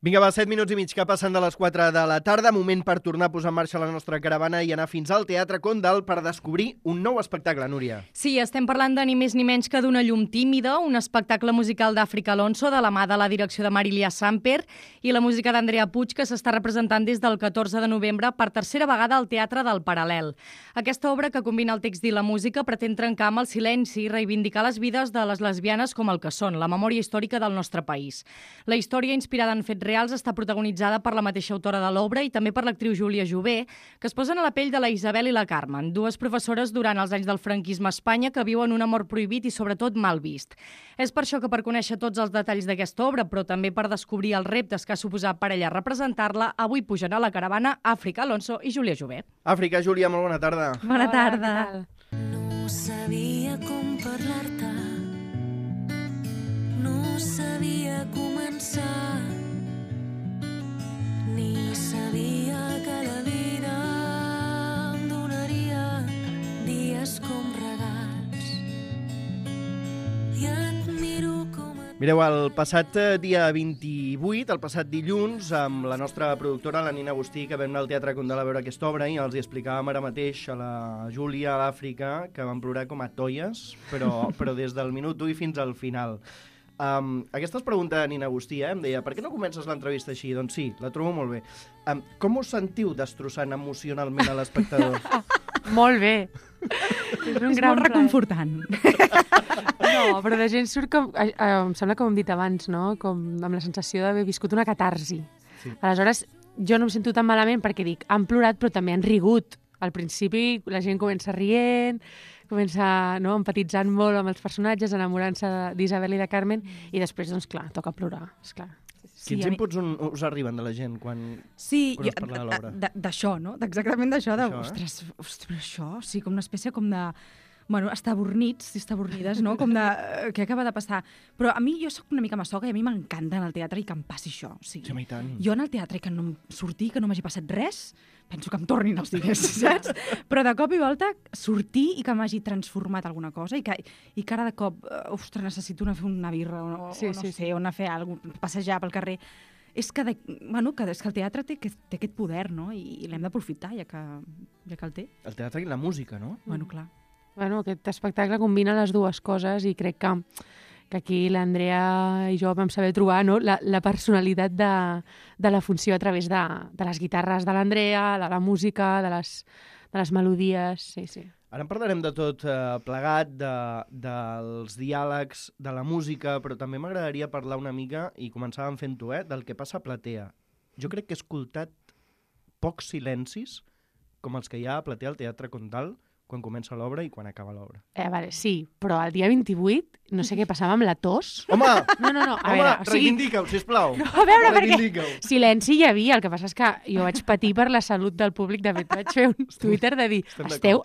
Vinga, va, 7 minuts i mig que passen de les 4 de la tarda. Moment per tornar a posar en marxa la nostra caravana i anar fins al Teatre Condal per descobrir un nou espectacle, Núria. Sí, estem parlant de ni més ni menys que d'Una llum tímida, un espectacle musical d'Àfrica Alonso, de la mà de la direcció de Marilia Samper i la música d'Andrea Puig, que s'està representant des del 14 de novembre per tercera vegada al Teatre del Paral·lel. Aquesta obra, que combina el text i la música, pretén trencar amb el silenci i reivindicar les vides de les lesbianes com el que són, la memòria històrica del nostre país. La història, inspirada en fets reals, està protagonitzada per la mateixa autora de l'obra i també per l'actriu Júlia Jové, que es posen a la pell de la Isabel i la Carmen, dues professores durant els anys del franquisme a Espanya que viuen un amor prohibit i sobretot mal vist. És per això que, per conèixer tots els detalls d'aquesta obra, però també per descobrir els reptes que ha suposat per ella representar-la, avui pugen a la caravana Àfrica Alonso i Júlia Jové. Àfrica, Júlia, molt bona tarda. Bona tarda. No sabia com parlar-te, no sabia començar, ni sabia que la vida em donaria dies com regals. I et miro com et... Mireu, el passat dia 28, el passat dilluns, amb la nostra productora, la Nina Agustí, que vam anar al Teatre Condal a veure aquesta obra i els hi explicàvem ara mateix a la Júlia, a l'Àfrica, que van plorar com a toies, però des del minut 1 i fins al final. Aquesta es pregunta a Nina Agustí, em deia, per què no comences l'entrevista així? Doncs sí, la trobo molt bé. Com us sentiu destrossant emocionalment a l'espectador? Molt bé. És un gran molt reconfortant. No, però la gent surt com... em sembla com hem dit abans, no? Com amb la sensació d'haver viscut una catarsi. Sí. Aleshores, jo no em sento tan malament perquè dic, han plorat però també han rigut. Al principi la gent comença rient, comença empatitzant molt amb els personatges, enamorant-se d'Isabel i de Carmen, i després, doncs clar, toca plorar, esclar. Quins inputs us arriben de la gent quan es parla de l'obra? D'això, no? Exactament d'això, ostres, això, sí, com una espècie com de... Bueno, estabornits, estabornides, no? Com de... Què acaba de passar? Però a mi, jo sóc una mica masoca i a mi m'encanta en el teatre i que em passi això. O sigui, sí, tant. Jo en el teatre que no em sortir, que no m'hagi passat res, penso que em tornin els diners, saps? Però de cop i volta sortir i que m'hagi transformat alguna cosa i que ara de cop, ostres, necessito anar a fer una birra o no sé, o anar a fer alguna cosa, passejar pel carrer. És que el teatre té aquest poder, no? I l'hem d'aprofitar, ja que el té. El teatre i la música, no? Bueno, clar. Bueno, aquest espectacle combina les dues coses i crec que aquí l'Andrea i jo vam saber trobar, no? la personalitat de la funció a través de les guitarres de l'Andrea, de la música, de les melodies, sí. Ara en parlarem de tot plegat, dels diàlegs, de la música, però també m'agradaria parlar una mica, i començàvem fent-ho, del que passa a platea. Jo crec que he escoltat pocs silencis com els que hi ha a platea al Teatre Condal, quan comença l'obra i quan acaba l'obra. Vale, sí, però el dia 28 no sé què passava amb la tos. Home! No. Reivindica-ho, sisplau. No, a veure, perquè silenci hi havia. El que passa és que jo vaig patir per la salut del públic. De fet, vaig fer un Twitter de dir,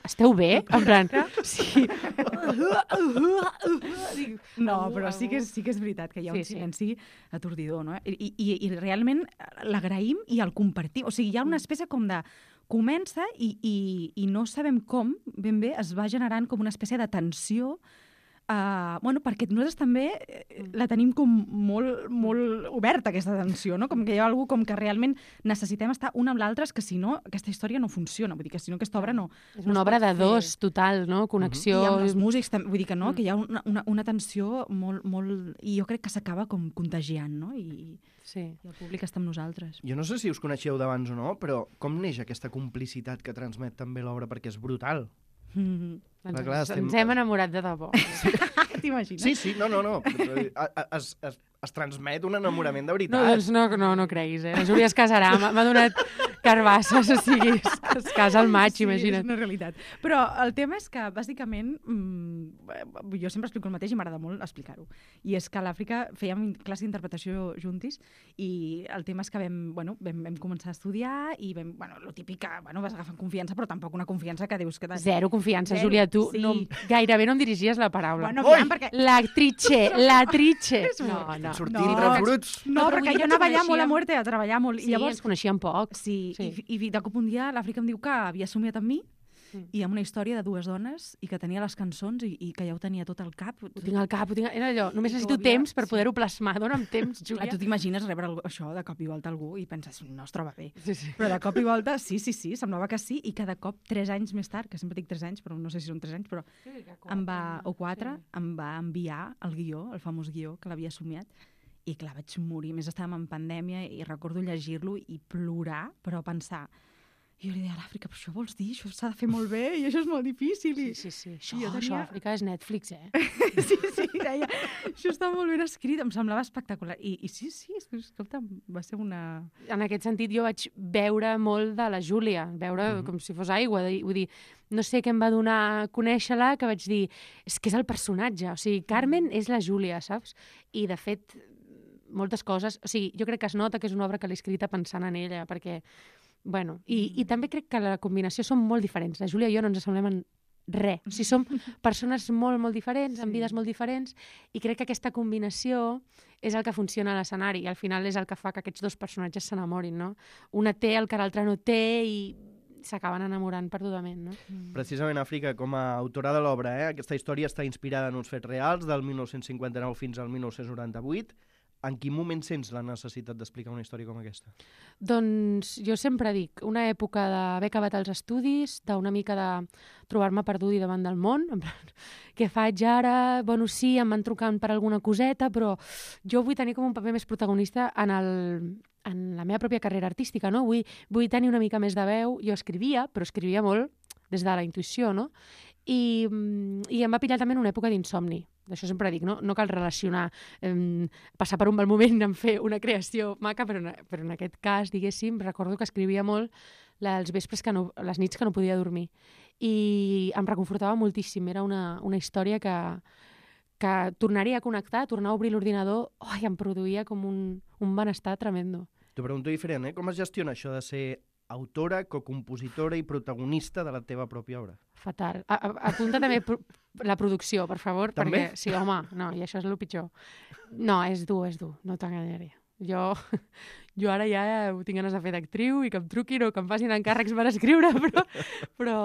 esteu bé? En plan, sí. No, però sí que és veritat que hi ha un silenci atordidor, no? I realment l'agraïm i el compartim. O sigui, hi ha una espècie com de... Comença i no sabem com, ben bé, es va generant com una espècie de tensió, perquè nosaltres també la tenim com molt oberta, aquesta tensió, no? Com que hi ha algú com que realment necessitem estar un amb l'altre, que si no, aquesta història no funciona, vull dir que si no aquesta obra no... És una obra de dos, total, no? Connexió... I amb els músics, vull dir que no, que hi ha una tensió molt... I jo crec que s'acaba com contagiant, no? I el públic està amb nosaltres. Jo no sé si us coneixeu d'abans o no, però com neix aquesta complicitat que transmet també l'obra? Perquè és brutal. Ens hem enamorat de debò. T'imagines? Sí, no. Es transmet un enamorament de veritat. No, doncs no creguis, La Júlia es casarà, m'ha donat carbasses, o sigui, es casa al maig, imagina't. És una realitat. Però el tema és que, bàsicament, jo sempre explico el mateix i m'agrada molt explicar-ho. I és que a l'Àfrica fèiem classe d'interpretació juntis i el tema és que vam començar a estudiar i lo típic que vas agafant confiança, però tampoc una confiança que dius que... Zero confiança, Júlia, tu gairebé no em dirigies la paraula. Perquè... L'actrice. No. Sortint refruts. No, perquè jo anava allà molt a muerte a treballar molt. Sí, ens coneixíem poc. Sí, i de cop un dia l'Àfrica em diu que havia somiat amb mi i amb una història de dues dones i que tenia les cançons i que ja ho tenia tot al cap. Ho tinc al cap, era allò, només necessito temps per poder-ho plasmar, dona'm temps, Júlia. Clar, tu t'imagines rebre això de cop i volta a algú i penses, no es troba bé. Sí. Però de cop i volta, sí, semblava que sí, i cada cop 3 anys més tard, que sempre dic 3 anys, però no sé si són 3 anys, però o 4, em va enviar el guió, el famós guió que l'havia somiat, i clar, vaig morir. A més, estàvem en pandèmia i recordo llegir-lo i plorar, però pensar... Jo li deia a l'Àfrica, però això vols dir? Això s'ha de fer molt bé i això és molt difícil. Sí. Això Àfrica és Netflix, Sí, deia, això està molt ben escrit, em semblava espectacular. I sí, escolta, va ser una... En aquest sentit, jo vaig veure molt de la Júlia, com si fos aigua. Vull dir, no sé què em va donar a conèixer-la, que vaig dir, és que és el personatge. O sigui, Carmen és la Júlia, saps? I, de fet, moltes coses... O sigui, jo crec que es nota que és una obra que l'he escrita pensant en ella, perquè... Bueno, i també crec que la combinació són molt diferents. La Júlia i jo no ens assemblem en res. O sigui, som persones molt diferents, amb vides molt diferents, i crec que aquesta combinació és el que funciona a l'escenari, i al final és el que fa que aquests dos personatges s'enamorin, no? Una té el que l'altra no té i s'acaben enamorant perdudament, no? Precisament, Àfrica, com a autora de l'obra, aquesta història està inspirada en uns fets reals del 1959 fins al 1998. En quin moment sents la necessitat d'explicar una història com aquesta? Doncs jo sempre dic, una època d'haver acabat els estudis, d'una mica de trobar-me perduda davant del món, en plan, què faig ara? Bueno, sí, em van trucant per alguna coseta, però jo vull tenir com un paper més protagonista en la meva pròpia carrera artística, no? Vull tenir una mica més de veu. Jo escrivia, però escrivia molt des de la intuïció, no? I em va pillar també en una època d'insomni. D'això sempre dic, no cal relacionar, passar per un mal moment en fer una creació maca, però en aquest cas, diguéssim, recordo que escrivia molt els vespres, les nits que no podia dormir. I em reconfortava moltíssim. Era una història que tornaria a connectar, tornar a obrir l'ordinador, i em produïa com un benestar tremendo. T'ho pregunto diferent, com es gestiona això de ser autora, cocompositora i protagonista de la teva pròpia obra? Fatal. Apunta també la producció, per favor. També? Perquè, sí, home, no, i això és el pitjor. No, és dur, no t'enganyaré. Jo ara ja ho tinc ganes de fer d'actriu i que em truquin o que em facin encàrrecs per escriure, però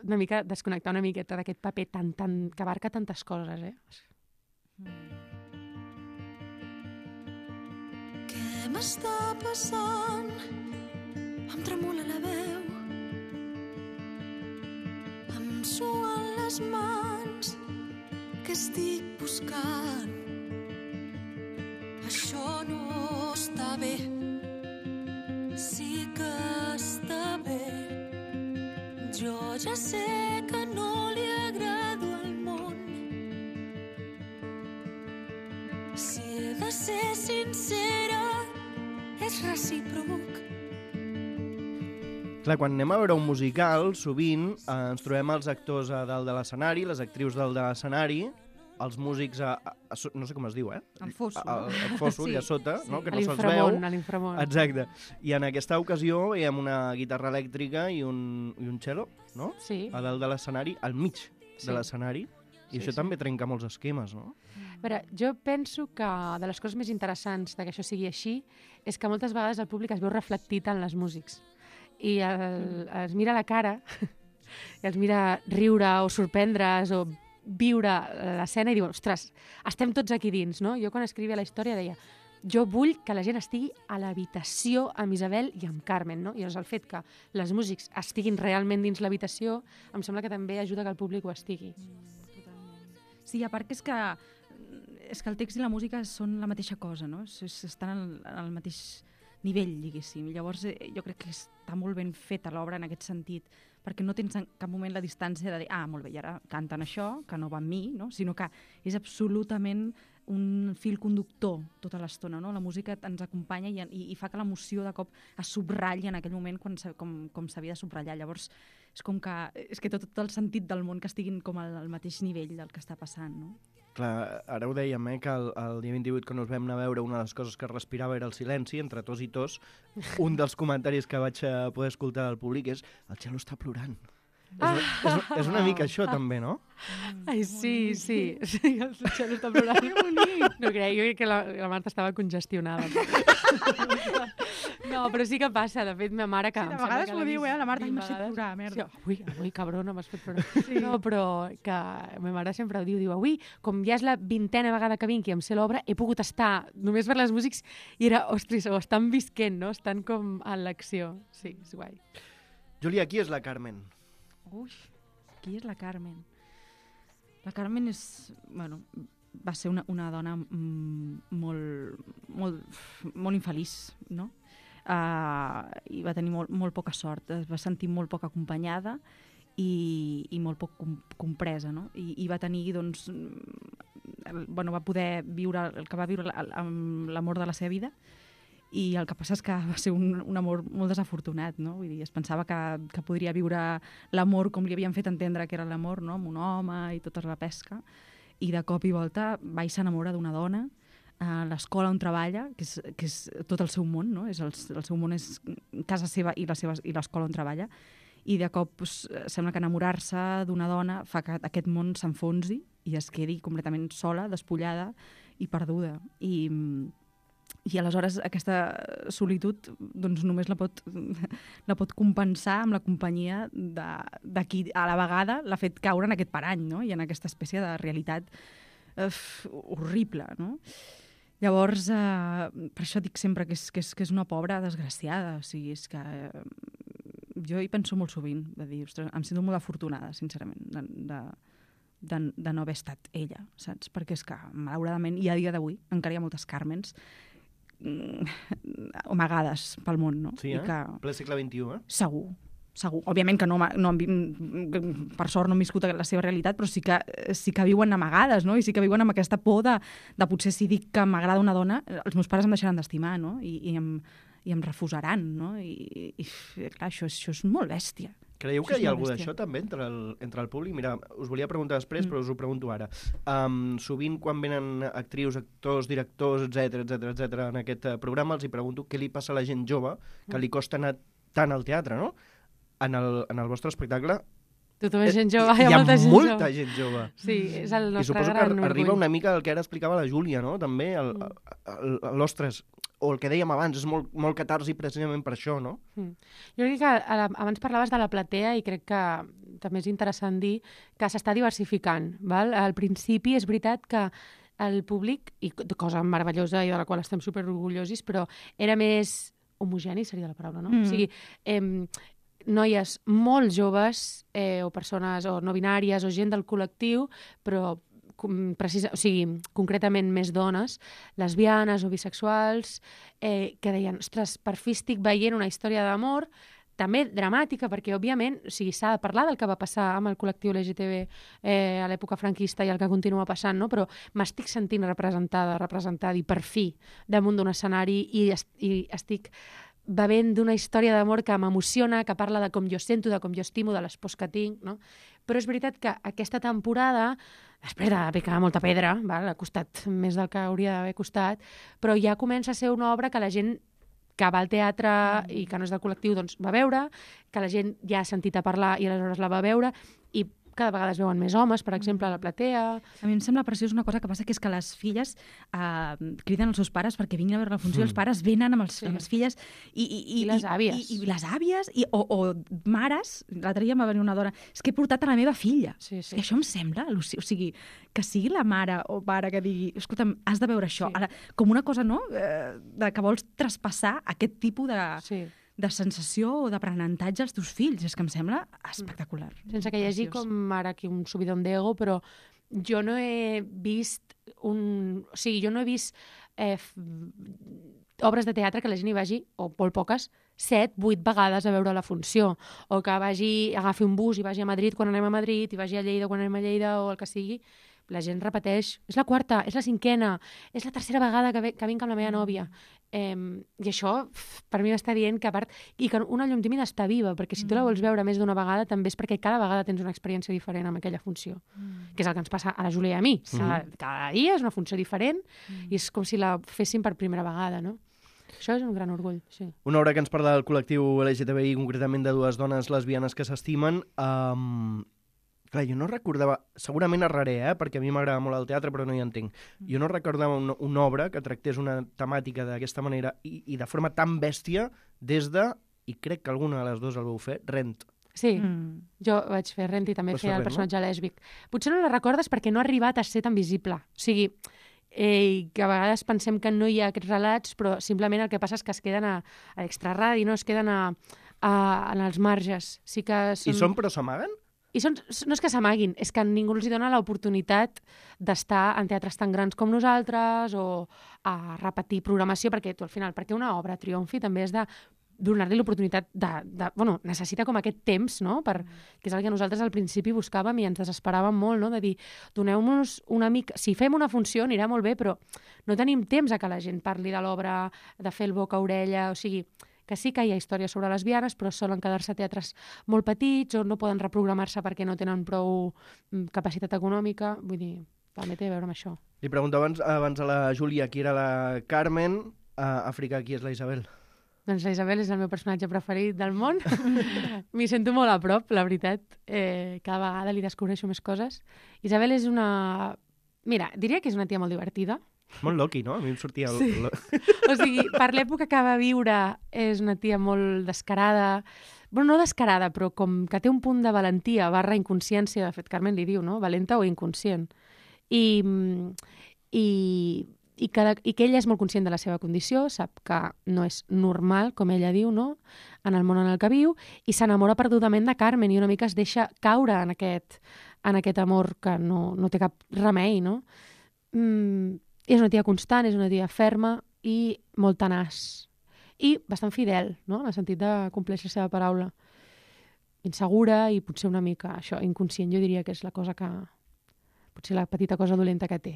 una mica desconnectar una miqueta d'aquest paper que abarca tantes coses, Què m'està passant? Em tremola la veu, em suen les mans, que estic buscant. Això no està bé, sí que està bé. Jo ja sé que no li agrado al món. Si he de ser sincera, és recíproc. Clar, quan anem a veure un musical, sovint ens trobem els actors a dalt de l'escenari, les actrius dalt de l'escenari, els músics no sé com es diu, El fosso. El fosso, allà sota, no? Que no se'ls veu. veu. L'inframón. Exacte. I en aquesta ocasió veiem una guitarra elèctrica i un cello, no? Sí. A dalt de l'escenari, al mig de l'escenari. I això també trenca molts esquemes, no? A veure, jo penso que de les coses més interessants de que això sigui així és que moltes vegades el públic es veu reflectit en les músics. I els mira a la cara, i els mira riure o sorprendre's o viure l'escena i diuen, ostres, estem tots aquí dins, no? Jo quan escrivia la història deia, jo vull que la gent estigui a l'habitació amb Isabel i amb Carmen, no? I llavors el fet que les músics estiguin realment dins l'habitació em sembla que també ajuda que el públic ho estigui. Sí, a part que és que el text i la música són la mateixa cosa, no? Estan al mateix nivell, diguéssim. Llavors jo crec que està molt ben feta l'obra en aquest sentit, perquè no tens en cap moment la distància de dir, molt bé, i ara canten això, que no va amb mi, no? Sinó que és absolutament un fil conductor tota l'estona, no? La música ens acompanya i fa que l'emoció de cop es subratlli en aquell moment com s'havia de subratllar. Llavors és que tot el sentit del món que estiguin com al mateix nivell del que està passant, no? Clar, ara ho dèiem, que el dia 28 que ens vam anar a veure, una de les coses que es respirava era el silenci, entre tos i tos. Un dels comentaris que vaig poder escoltar del públic és el Txelo està plorant. És una mica això, també, no? Ai, sí, el Txelo està plorant. No crec, jo crec que la Marta estava congestionada. No, però sí que passa. De fet, ma mare... Que sí, de vegades m'ho diu, la Marta, m'has fet plorar, merda. Sí, avui, cabrona, m'has fet plorar. Sí. No, però que ma mare sempre ho diu, avui, com ja és la 20a vegada que vinc i em sé l'obra, he pogut estar només per les músics i era, ostres, ho estan visquent, no? Estan com en l'acció. Sí, és guai. Júlia, qui és la Carmen? Ui, qui és la Carmen? La Carmen és... Bueno, va ser una dona molt infeliç, no? I va tenir molt poca sort. Es va sentir molt poc acompanyada i molt poc compresa, no? I va tenir, doncs... va poder viure el que va viure amb l'amor de la seva vida, i el que passa és que va ser un amor molt desafortunat, no? Vull dir, es pensava que podria viure l'amor com li havien fet entendre que era l'amor, no? Amb un home i tota la pesca, i de cop i volta va i s'enamora d'una dona a l'escola on treballa, que és tot el seu món, no? El seu món és casa seva i l'escola on treballa, i de cop sembla que enamorar-se d'una dona fa que aquest món s'enfonsi i es quedi completament sola, despullada i perduda. I aleshores aquesta solitud doncs, només la pot compensar amb la companyia de qui a la vegada l'ha fet caure en aquest parany, no? I en aquesta espècie de realitat horrible, no? Llavors, per això dic sempre que és una pobra desgraciada. O sigui, és que jo hi penso molt sovint, de dir, ostres, em sento molt afortunada, sincerament, de no haver estat ella, saps? Perquè és que, malauradament, i a dia d'avui encara hi ha moltes Carmens amagades pel món, no? Sí, ple segle XXI, Segur. Òbviament que no, per sort no han viscut la seva realitat, però sí que viuen amagades, no? I sí que viuen amb aquesta por de potser si dic que m'agrada una dona, els meus pares em deixaran d'estimar, no? I em refusaran, no? I clar, això és molt bèstia. Creieu que hi ha alguna d'això també entre el públic? Mira, us volia preguntar després, però us ho pregunto ara. Sovint quan venen actrius, actors, directors, etc en aquest programa, els hi pregunto què li passa a la gent jove que li costa anar tant al teatre, no? En el vostre espectacle tothom és gent jove, hi ha molta gent jove. Sí, és el nostre gran orgull. I suposo que arriba una mica el que ara explicava la Júlia, no? També, l'ostres, o el que dèiem abans, és molt catarsi precisament per això, no? Jo crec que abans parlaves de la platea i crec que també és interessant dir que s'està diversificant, val? Al principi és veritat que el públic, i cosa meravellosa i de la qual estem superorgullosos, però era més homogeni, seria la paraula, no? O sigui, noies molt joves o persones o no binàries o gent del col·lectiu, però concretament més dones, lesbianes o bisexuals, que deien, ostres, per fi estic veient una història d'amor també dramàtica, perquè, òbviament, s'ha de parlar del que va passar amb el col·lectiu LGTB a l'època franquista i el que continua passant, no? Però m'estic sentint representada i per fi damunt d'un escenari i estic bevent d'una història d'amor que m'emociona, que parla de com jo sento, de com jo estimo, de les pors que tinc, no? Però és veritat que aquesta temporada, després de picar molta pedra, ha costat més del que hauria d'haver costat, però ja comença a ser una obra que la gent que va al teatre i que no és del col·lectiu doncs va veure, que la gent ja ha sentit a parlar i aleshores la va veure, i cada vegada es veuen més homes, per exemple, a la platea. A mi em sembla preciós una cosa que passa, que és que les filles criden els seus pares perquè vinguin a veure la funció, els pares venen amb les filles i les àvies. I les àvies, o mares, l'altre dia em va venir una dona, és que he portat a la meva filla. Sí. I això em sembla, o sigui, que sigui la mare o pare que digui, escolta'm, has de veure això. Ara, com una cosa, no?, que vols traspassar aquest tipus de sensació o d'aprenentatge als teus fills. És que em sembla espectacular. Sense que hi hagi com ara aquí un subidón d'ego, però jo no he vist obres de teatre que la gent hi vagi, o molt poques, 7, 8 vegades a veure la funció, o que agafi un bus i vagi a Madrid quan anem a Madrid, i vagi a Lleida quan anem a Lleida, o el que sigui. La gent repeteix, és la 4ª, és la 5ª, és la 3ª vegada que vinc amb la meva nòvia. I això, per mi m'està dient que, a part, i que una llum tímida està viva, perquè si tu la vols veure més d'una vegada, també és perquè cada vegada tens una experiència diferent amb aquella funció, que és el que ens passa a la Júlia i a mi. Cada dia és una funció diferent i és com si la féssim per primera vegada, no? Això és un gran orgull, sí. Una obra que ens parla del col·lectiu LGTBI, concretament de dues dones lesbianes que s'estimen. Clar, jo no recordava... Segurament erraré, perquè a mi m'agrada molt el teatre, però no hi entenc. Jo no recordava una obra que tractés una temàtica d'aquesta manera i de forma tan bèstia des de, i crec que alguna de les dues el vau fer, Rent. Sí, jo vaig fer Rent i també feia el personatge lèsbic. Potser no la recordes perquè no ha arribat a ser tan visible. O sigui, que a vegades pensem que no hi ha aquests relats, però simplement el que passa és que es queden a l'extraradi, no? Es queden en els marges. Sí que són... I són però s'amaguen? I no és que s'amaguin, és que ningú els dona l'oportunitat d'estar en teatres tan grans com nosaltres o a repetir programació, perquè tu al final, perquè una obra triomfi també és de donar-li l'oportunitat bueno, necessita com aquest temps, no? Que és el que nosaltres al principi buscàvem i ens desesperàvem molt, no? De dir, doneu-nos una mica... Si fem una funció anirà molt bé, però no tenim temps a que la gent parli de l'obra, de fer el boca-orella, o sigui... que sí que hi ha històries sobre lesbianes, però solen quedar-se a teatres molt petits o no poden reprogramar-se perquè no tenen prou capacitat econòmica. Vull dir, també té a veure amb això. Li preguntava abans a la Júlia qui era la Carmen, a Àfrica qui és la Isabel? Doncs la Isabel és el meu personatge preferit del món. M'hi sento molt a prop, la veritat. Cada vegada li descobreixo més coses. Isabel és una... Mira, diria que és una tia molt divertida. Molt loqui, no? A mi em sortia... Sí. O sigui, per l'època que va viure és una tia molt descarada. Bueno, no descarada, però com que té un punt de valentia / inconsciència, de fet, Carmen li diu, no? Valenta o inconscient. I que ella és molt conscient de la seva condició, sap que no és normal, com ella diu, no? En el món en el que viu, i s'enamora perdudament de Carmen i una mica es deixa caure en aquest amor que no té cap remei, no? És una tia constant, és una tia ferma i molt tenaç. I bastant fidel, no? En el sentit de complir la seva paraula. Insegura i potser una mica, això, inconscient, jo diria que és la cosa que... Potser la petita cosa dolenta que té.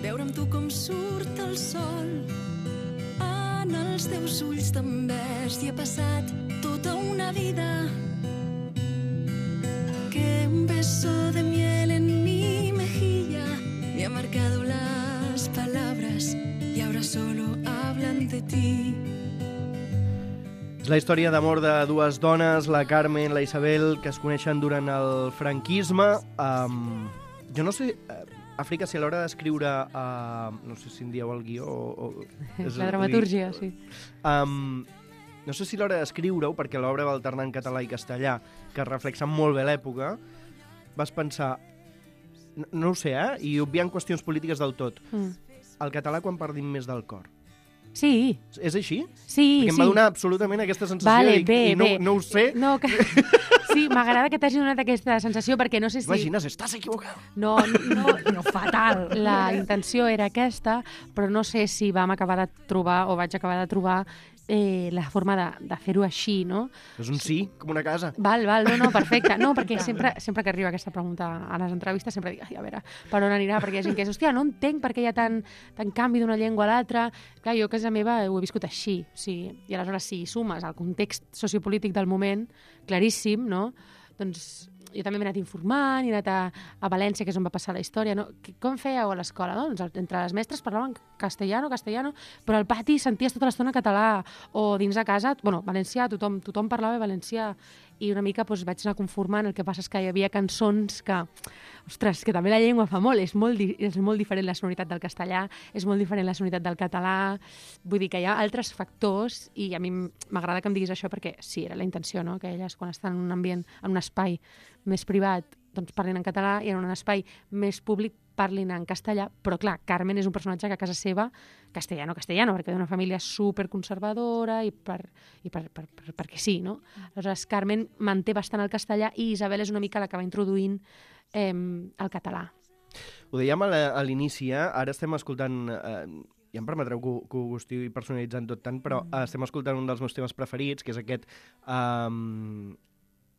Veure amb tu com surt el sol en els teus ulls tan verds i ha passat tota una vida que un beso de miel en mi mejilla me ha marcado las palabras y ahora solo hablan de ti. És la història d'amor de dues dones, la Carmen, la Isabel, que es coneixen durant el franquisme. Jo no sé... Àfrica, si a l'hora d'escriure, no sé si en dieu el guió la dramatúrgia, sí. No sé si a l'hora d'escriure-ho, perquè l'obra va alternar en català i castellà, que reflexa molt bé l'època, vas pensar, no ho sé, i obviant qüestions polítiques del tot, el català quan parlim més del cor. Sí. És així? Sí, perquè em va donar absolutament aquesta sensació no ho sé. No, sí, m'agrada que t'hagi donat aquesta sensació perquè no sé si... Imagines, estàs equivocat. No, fatal. La intenció era aquesta, però no sé si vam acabar de trobar o vaig acabar de trobar la forma de fer-ho així, no? És un sí, com una casa. Val, no, perfecte. No, perquè sempre que arriba aquesta pregunta a les entrevistes sempre dic, a veure, per on anirà? Perquè hi ha gent que és, hòstia, no entenc per què hi ha tant canvi d'una llengua a l'altra. Clar, jo a casa meva ho he viscut així, o sigui, i aleshores si sumes el context sociopolític del moment, claríssim, no? Doncs jo també m'he anat informant, he anat a València, que és on va passar la història, no? Com fèieu a l'escola? No? Doncs entre les mestres parlaven castellano, però al pati senties tota l'estona català, o dins de casa, bueno, valencià, tothom parlava valencià, i una mica doncs, vaig anar conformant. El que passa és que hi havia cançons que, ostres, que també la llengua fa molt, és molt diferent la sonoritat del castellà, és molt diferent la sonoritat del català, vull dir que hi ha altres factors, i a mi m'agrada que em diguis això perquè sí, era la intenció, no? Que elles quan estan en un ambient, en un espai més privat, doncs parlin en català, i en un espai més públic parlin en castellà, però clar, Carmen és un personatge que a casa seva, castellano, perquè d'una família superconservadora i perquè sí, no? Aleshores, Carmen manté bastant el castellà i Isabel és una mica la que va introduint el català. Ho dèiem a l'inici, ara estem escoltant... Ja em permetreu que ho estigui personalitzant tot tant, però estem escoltant un dels meus temes preferits, que és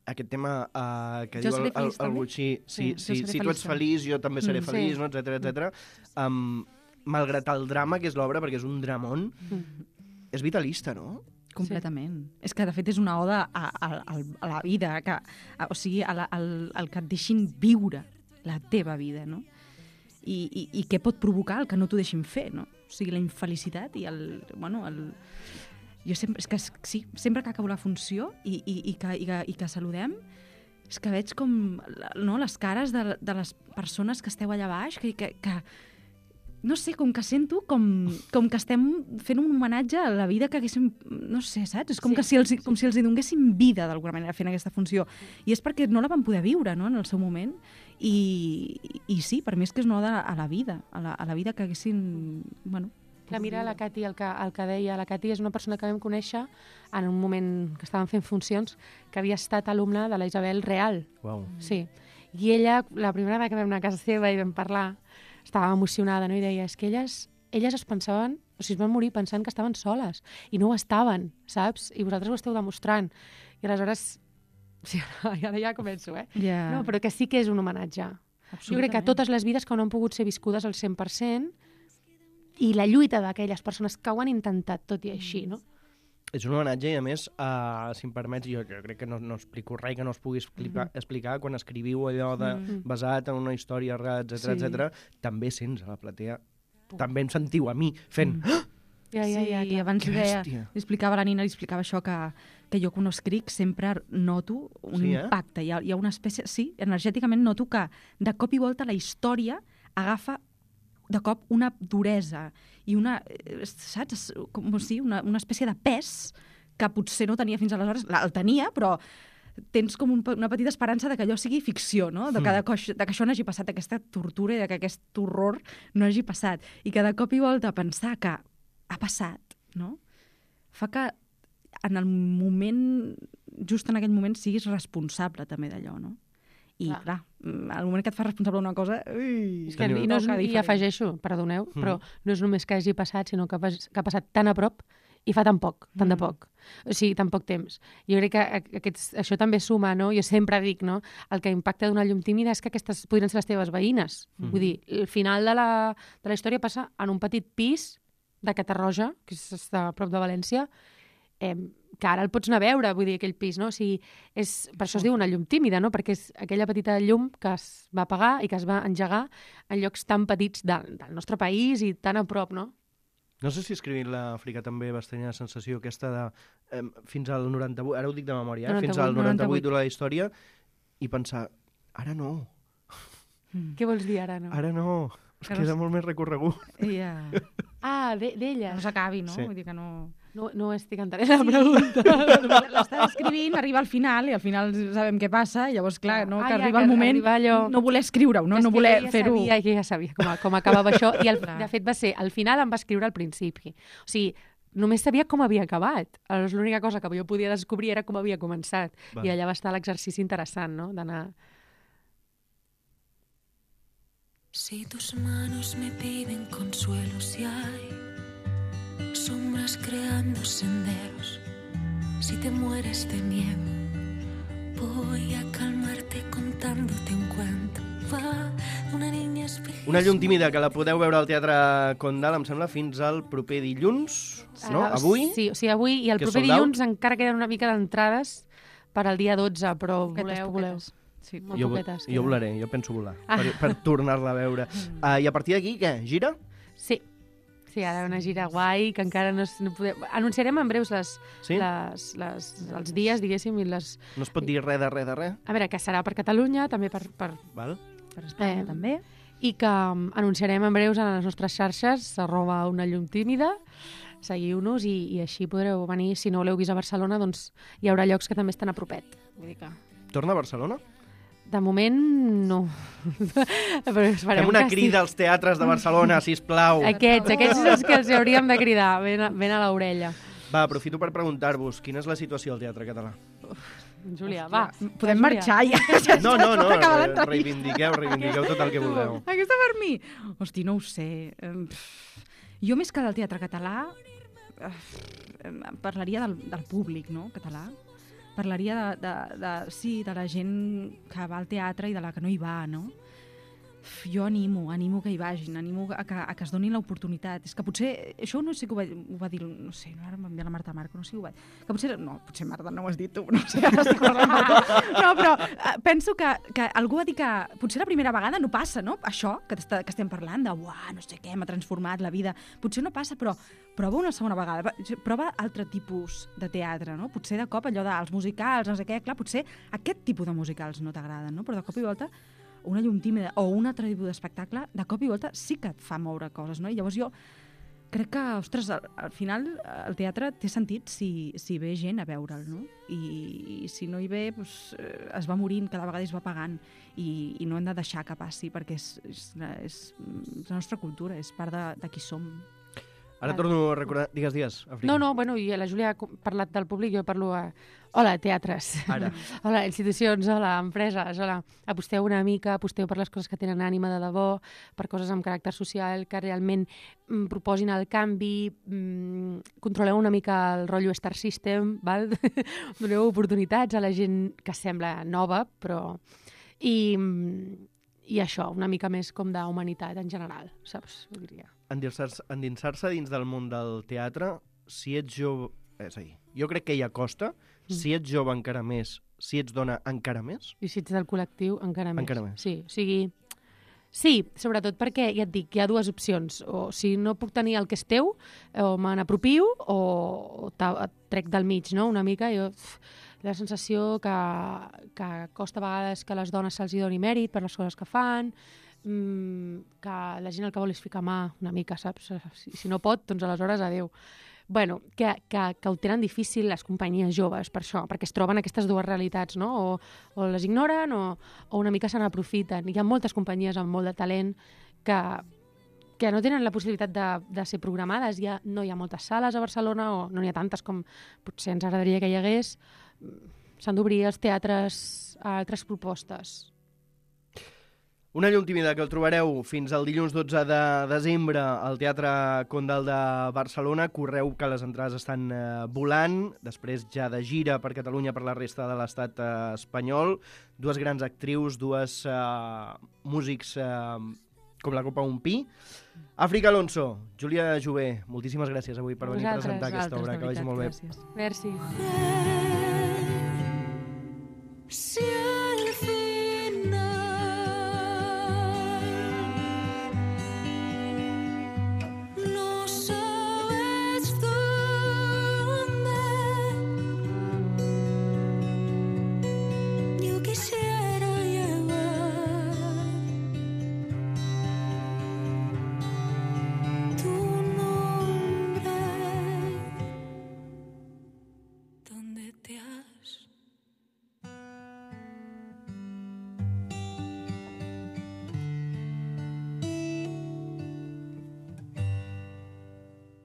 aquest tema que diu el Butxí, si tu ets feliç, jo també seré feliç, no? Etcètera. Malgrat el drama que és l'obra, perquè és un dramón, és vitalista, no? Completament. És que, de fet, és una oda a la vida, o sigui, al que et deixin viure la teva vida, no? I què pot provocar el que no t'ho deixin fer, no? O sigui, la infelicitat i jo sempre, és que sí, sempre que acabo la funció i que saludem, és que veig com les cares de les persones que esteu allà baix, que no sé, com que sento com que estem fent un homenatge a la vida que haguéssim, no sé, saps? És com si els hi donguéssim vida d'alguna manera fent aquesta funció. I és perquè no la van poder viure, no?, en el seu moment. I sí, per mi és que és una oda a la vida, a la vida que haguessin, bueno... Clar, mira la Cati, el que deia. La Cati és una persona que vam conèixer en un moment que estàvem fent funcions, que havia estat alumna de la Isabel Real. Uau. Sí. I ella, la primera vegada que vam anar a casa seva i vam parlar, estava emocionada, no? I deia, és que elles es pensaven, o sigui, es van morir pensant que estaven soles, i no ho estaven, saps? I vosaltres ho esteu demostrant. I aleshores, sí, ara ja començo, Yeah. No, però que sí que és un homenatge. Jo crec que totes les vides que no han pogut ser viscudes al 100%, i la lluita d'aquelles persones que ho han intentat, tot i així, no? És un homenatge i, a més, si em permets, jo crec que no explico res que no es pugui explicar quan escriviu allò basat en una història real, etc. També sents a la platea, també em sentiu a mi fent... Sí, abans li explicava la Nina, li explicava això, que jo quan ho escric sempre noto un impacte. Hi ha una espècie... Sí, energèticament noto que de cop i volta la història agafa de cop una duresa i una, saps, com si una espècie de pes que potser no tenia fins aleshores. El tenia, però tens com una petita esperança de que allò sigui ficció, no? De que això no hagi passat, aquesta tortura i de que aquest horror no hagi passat. I que de cop i volta pensar que ha passat, no? Fa que en el moment, just en aquell moment, siguis responsable també d'allò, no? I, clar, al moment que et fas responsable d'una cosa... I afegeixo, perdoneu, però no és només que hagi passat, sinó que ha passat tan a prop i fa tan poc, tant de poc. O sigui, tan poc temps. Jo crec que això també suma, no? Jo sempre dic, no? El que impacta d'una llum tímida és que aquestes podrien ser les teves veïnes. Vull dir, el final de la història passa en un petit pis de Catarroja, que està a prop de València, que ara el pots anar a veure, vull dir, aquell pis, no? O sigui, per això es diu una llum tímida, no? Perquè és aquella petita llum que es va apagar i que es va engegar en llocs tan petits del nostre país i tan a prop, no? No sé si escrivint l'Àfrica també vas tenir la sensació aquesta de fins al 98, ara ho dic de memòria, fins al 98 de la història, i pensar, ara no. Què vols dir ara no? Ara no, es queda molt més recorregut. D'ella. No s'acabi, no? Sí. Vull dir que no... No estic entenent la pregunta. L'estàs escrivint, arriba al final, i al final sabem què passa, i llavors, clar, no, que arriba el moment, no voler escriure-ho, no voler fer-ho. Ja sabia com acabava això, i de fet va ser, al final em va escriure al principi. O sigui, només sabia com havia acabat. Aleshores, l'única cosa que jo podia descobrir era com havia començat. I allà va estar l'exercici interessant, no?, d'anar... Si tus manos me piden consuelo, si hay sombras creando senderos, si te mueres de miedo, voy a calmarte contándote un cuento. Va d'una niña espejista. Una llum tímida que la podeu veure al Teatre Condal, em sembla, fins al proper dilluns, no? Avui? Sí, o sigui, avui i el proper dilluns encara queden una mica d'entrades per al dia 12, però voleu. Sí, jo volaré, jo penso volar, per tornar-la a veure. I a partir d'aquí, què? Gira? Sí, ara una gira guai, que encara no podem... Anunciarem en breus els dies, diguéssim, i les... No es pot dir res de res? A veure, que serà per Catalunya, també per Espanya, també. I que anunciarem en breus a les nostres xarxes, @unallumtímida, seguiu-nos i així podreu venir. Si no l'heu vist a Barcelona, doncs hi haurà llocs que també estan a propet. Vull dir que... Torna a Barcelona? De moment, no. Però fem una crida als teatres de Barcelona, sisplau. Aquests són els que els hauríem de cridar, ben a l'orella. Va, aprofito per preguntar-vos, quina és la situació al teatre català? Júlia, va. Podem marxar ja. No, reivindiqueu tot el que vulgueu. Aquesta per mi? Hosti, no ho sé. Jo més que del teatre català parlaria del públic, no?, català. Parlaria de la gent que va al teatre i de la que no hi va, no? Jo animo que hi vagin, animo a que es donin l'oportunitat. És que potser, això no sé que ho va dir, no sé, ara m'envia la Marta Marco, no sé si ho va dir, que potser, no, potser Marta no ho has dit tu, no sé, ara estic parlant no, però penso que algú va dir que potser la primera vegada no passa, no? Això que estem parlant de, uah, no sé què, m'ha transformat la vida, potser no passa, però prova una segona vegada, prova altre tipus de teatre, no? Potser de cop allò dels musicals, no sé què, clar, potser aquest tipus de musicals no t'agraden, no? Però de cop i volta una llum tímida o un altre tipus d'espectacle, de cop i volta sí que et fa moure coses, no? I llavors jo crec que, ostres, al final el teatre té sentit si ve gent a veure'l, no? I si no hi ve, doncs, es va morint, cada vegada es va apagant i no hem de deixar que passi perquè és la nostra cultura, és part de qui som. Ara torno a recordar... Digues, Àfrica. No, bueno, i la Júlia ha parlat del públic, jo parlo a... Hola, teatres. Ara. Hola, institucions, hola, empreses, hola. Aposteu una mica, aposteu per les coses que tenen ànima de debò, per coses amb caràcter social, que realment proposin el canvi, controleu una mica el rotllo Star System, val? Doneu oportunitats a la gent que sembla nova, però... I això, una mica més com d'humanitat en general, saps? Ho diria. Endinsar-se dins del món del teatre, si ets jove... És a dir, jo crec que hi ha costa, si ets jove encara més, si ets dona encara més. I si ets del col·lectiu encara més. Encara més. Sí, o sigui... Sí, sobretot perquè, ja et dic, hi ha dues opcions. O si no puc tenir el que és teu, o me n'apropio, o et trec del mig, no? Una mica, jo... La sensació que costa a vegades que a les dones se'ls doni mèrit per les coses que fan, que la gent el que vol és ficar mà una mica, saps? Si no pot, doncs aleshores adeu. Bueno, que ho tenen difícil les companyies joves per això, perquè es troben aquestes dues realitats, no? O les ignoren o una mica se n'aprofiten. Hi ha moltes companyies amb molt de talent que no tenen la possibilitat de ser programades. No hi ha moltes sales a Barcelona, o no n'hi ha tantes com potser ens agradaria que hi hagués. S'han d'obrir els teatres a altres propostes. Una llum tímida que el trobareu fins al dilluns 12 de desembre al Teatre Condal de Barcelona. Correu que les entrades estan volant, després ja de gira per Catalunya, per la resta de l'estat espanyol. Dues grans actrius, dues músics com la Copa Un Pi. Àfrica Alonso, Júlia Jové, moltíssimes gràcies avui per venir a presentar aquesta obra. Que vagi molt bé. Merci.